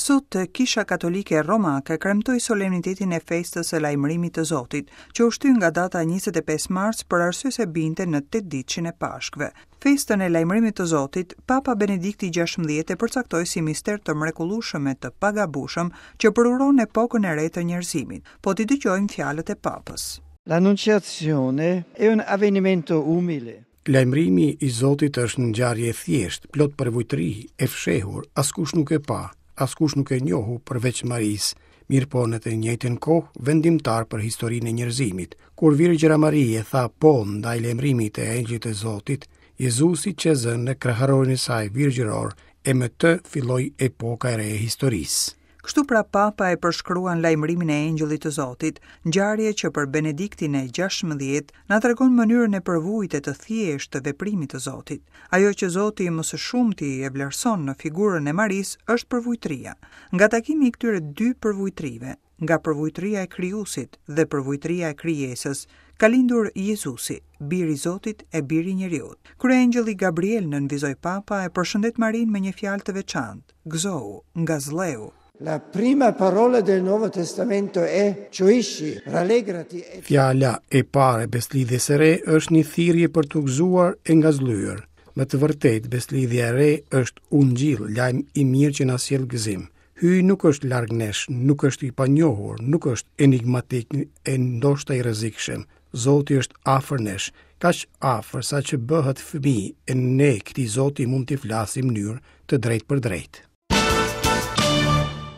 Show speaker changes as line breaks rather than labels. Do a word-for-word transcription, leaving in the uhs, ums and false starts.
Sot Kisha Katolike Romake kremtoi solemnitetin e festës së lajmërimit të Zotit, që u shty nga data njëzet e pesë mars për arsye se binte në tetë ditëshin e Pashkëve. Festën e lajmërimit të Zotit, Papa Benedikti gjashtëmbëdhjetë e përcaktoi si mister të mrekullueshëm e të pagabueshëm që përuron epokën e re të njerëzimit. Po t'i dëgjojmë fjalët e Papës.
L'Annunciazione è un avvenimento umile.
Lajmërimi i Zotit është një ngjarje e thjeshtë, plot përvujtëri, e fshehur, askush nuk e pa, askush nuk e njohu përveç Marisë, mirë po në të njëjtën kohë vendimtar për historinë e njerëzimit. Kur Virgjëra Marie tha po ndaj lajmërimit të engjëllit të Zotit, Jezusi qe zënë në kraharorin e saj virgjëror e me të filloi epoka e re e historisë.
Kështu pra Papa e përshkruan lajmërimin e engjëllit të Zotit, ngjarje që për Benediktin e gjashtëmbëdhjetë na tregon mënyrën e përvujtë të thjeshtë të veprimit të Zotit. Ajo që Zoti më së shumti e vlerëson në figurën e Marisë është përvujtëria. Nga takimi i këtyre dy përvujtërive, nga përvujtëria e Krijuesit dhe përvujtëria e krijesës, ka lindur Jezusi, biri i Zotit e biri i njeriut. Kryengjëlli Gabriel nënvizoi Papa e përshëndet Marinë me një fjalë të veçantë: gëzohu, ngazlleu.
La prima parola del Nuovo Testamento è gioisci, rallegrati.
Fjala e parë e Besëlidhjes së Re është një thirrje për t'u gëzuar e ngazëllyer. Me të vërtetë, Besëlidhja e Re është ungjill, lajm i mirë që na sjell gëzim. Hyji nuk është larg nesh, nuk është i panjohur, nuk është enigmatik e ndoshta i rrezikshëm. Zoti është afër nesh, kaq afër sa që bëhet fëmijë e ne këtij Zoti mund t'i flasim në mënyrë të drejtë për drejtë.